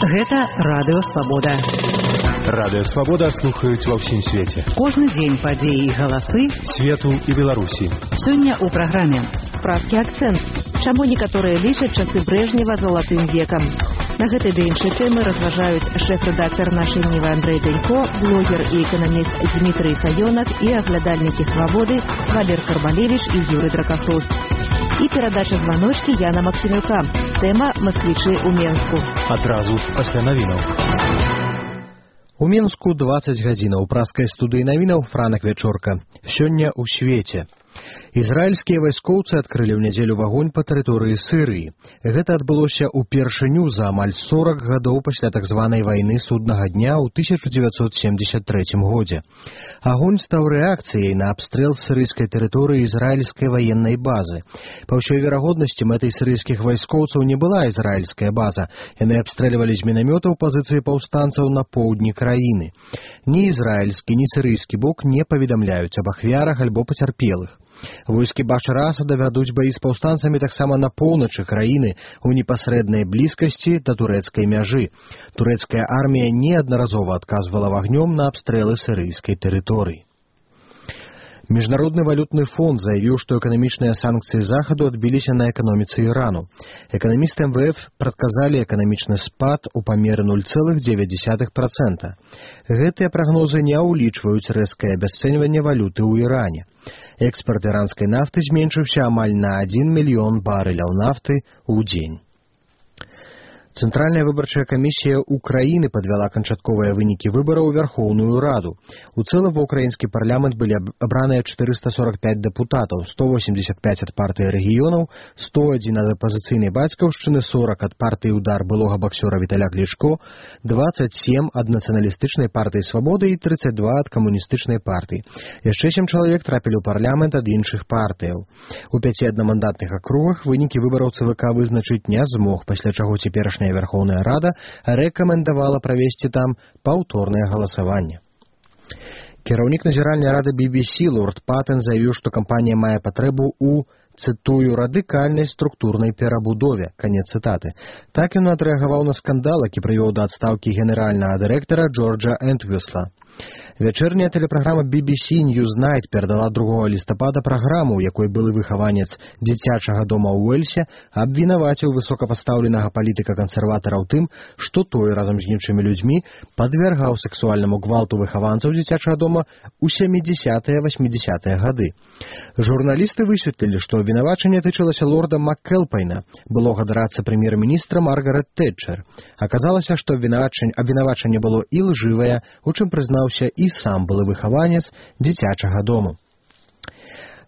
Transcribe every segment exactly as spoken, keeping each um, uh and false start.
Гэта Радыё Свабода. Радыё Свабода слухаюць ва ўсім свеце. Кожны дзень падзеі і галасы свету і Беларусі. Сёння ў праграме «Пражскі акцэнт». Чаму некаторыя лічаць часы Брэжнева залатым векам? На гэтай ды іншай тэмы разважаюць шэф-рэдактар нашай Нівы Андрэй Бенько, блогер і эканаміст Дмітрый Саёнак і аглядальнікі «Свабоды» Валер Карбалевіч і Юрый Дракасоўскі. І перадача званочкі Яна Максімюка. Тэма «Масквічы ў Менску». Адразу пасля навінаў. У Менску дваццаць гадзінаў. Праскай студыі навінаў Франак Вячорка. Сёння ў свеце. Ізраільскія вайскоўцы адкрылі ў нядзелю агонь па тэрыторыі Сірыі. Гэта адбылося ўпершыню за амаль сорак гадоў пасля так званай вайны суднага дня ў тысяча дзевяцьсот семьдесят трэцім годзе. Агонь стаў рэакцыяй на абстрэл сірыйскай тэрыторыі ізраільскай ваеннай базы. Па ўсёй верагоднасці, мэтай сірыйскіх вайскоўцаў не была ізраільская база. Яны абстрэльвалі з мінамётаў пазіцыі паўстанцаў на поўдні краіны. Ні ізраільскі, ні сірыйскі бок не паведамляюць аб ахвярах альбо пацярпелых. Войскі Башара Асада вядуць баі з паўстанцамі таксама на поўначы краіны ў непасрэднай блізкасці да турэцкай мяжы. Турэцкая армія неаднаразова адказвала агнём на абстрэлы сірыйскай тэрыторыі. Міжнародны валютны фонд заявіў, што эканамічныя санкцыі Захаду адбіліся на эканоміцы Ірану. Эканамісты эм вэ эф прадказалі эканамічны спад у памеры нуль цэлых дзевяць дзесятых працэнта. Гэтыя прагнозы не ўлічваюць рэзкае абясцэньванне валюты ў Іране. Экспарт іранскай нафты зменшыўся амаль на адзін мільён барэляў нафты ў дзень. Цэнтральная выбарчая камісія Украіны падвяла канчатковыя вынікі выбараў у Вярхоўную Раду. У цэлым ва ўкраінскі парламент былі абраныя чатырыста сорак пяць дэпутатаў, сто восемьдесят пять ад партыі рэгіёнаў, сто адзін ад апазіцыйнай бацькаўшчыны, сорок ад партыі «Удар» былога баксёра Віталя Клічко, дваццаць сем ад нацыяналістычнай партыі «Свабода» і тридцать два ад камуністычнай партыі. Яшчэ сем чалавек трапілі ў парламент ад іншых партыяў. У пяці аднамандатных акругах вынікі выбараў ЦВК вызначыць не змог, пасля чаго цяперашняя Верховная Рада рэкамендавала правесці там паўторнае галасаванне. Кіраўнік назіральнай рады би би сі Лорд Паттен заявіў, што кампанія мае патрэбу ў, цытую, радыкальнай структурнай перабудове. Канец цытаты. Так ён адрэагаваў на скандал, які прывёў да адстаўкі генеральнага дырэктара Джорджа Энтвісла. Вячэрняя тэлепраграма би би сі Newsnight перадала другога лістапада праграму, у якой былы выхаванец дзіцячага дома ў Уэльсе абвінаваціў высокапастаўленага палітыка-кансерватара ў тым, што той разам з іншымі людзьмі падвяргаў сексуальнаму гвалту выхаванцаў дзіцячага дома ў сямідзясятыя восьмідзясятыя гады. Журналісты высветлілі, што абвінавачанне тычылася лорда Маккэлпайна, былога дарадцы прэм'ер-міністра Маргарет Тэтчер. Аказалася, што абвінавачанне было і лжывае, у чым прызнаўся і сам былы выхаванец дзіцячага дому.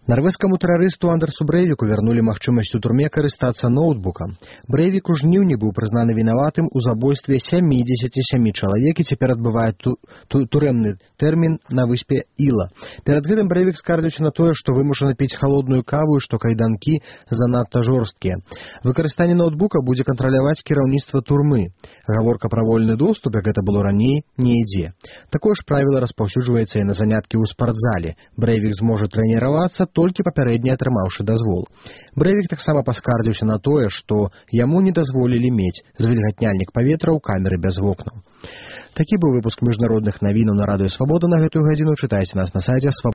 Нарвежскаму тэрарысту Андерсу Брэйвіку вярнулі магчымасць у турме карыстацца ноутбукам. Брэйвік у жніўні быў прызнаны вінаватым у забойстве сямідзесяці сямі чалавек і цяпер адбывае ту, ту, турэмны тэрмін на выспе Іла. Перад гэтым Брэйвік скардзіўся на тое, што вымушаны піць халодную каву і што кайданкі занадта жорсткія. Выкарыстанне ноутбука будзе кантраляваць кіраўніцтва турмы. Гаворка пра вольны доступ, як гэта было раней, не ідзе. Такое ж правіла распаўсюджваецца і на заняткі ў спартзале. Брэйвік зможа трэніравацца толькі папярэдне атрымаўшы дазвол. Брэйвік таксама паскардзіўся на тое, што яму не дазволілі мець звільгатняльнік паветра ў камеры без вокнаў. Такі быў выпуск міжнародных навінаў на Радыё Свабода на гэтую гадзіну. Чытайце нас на сайце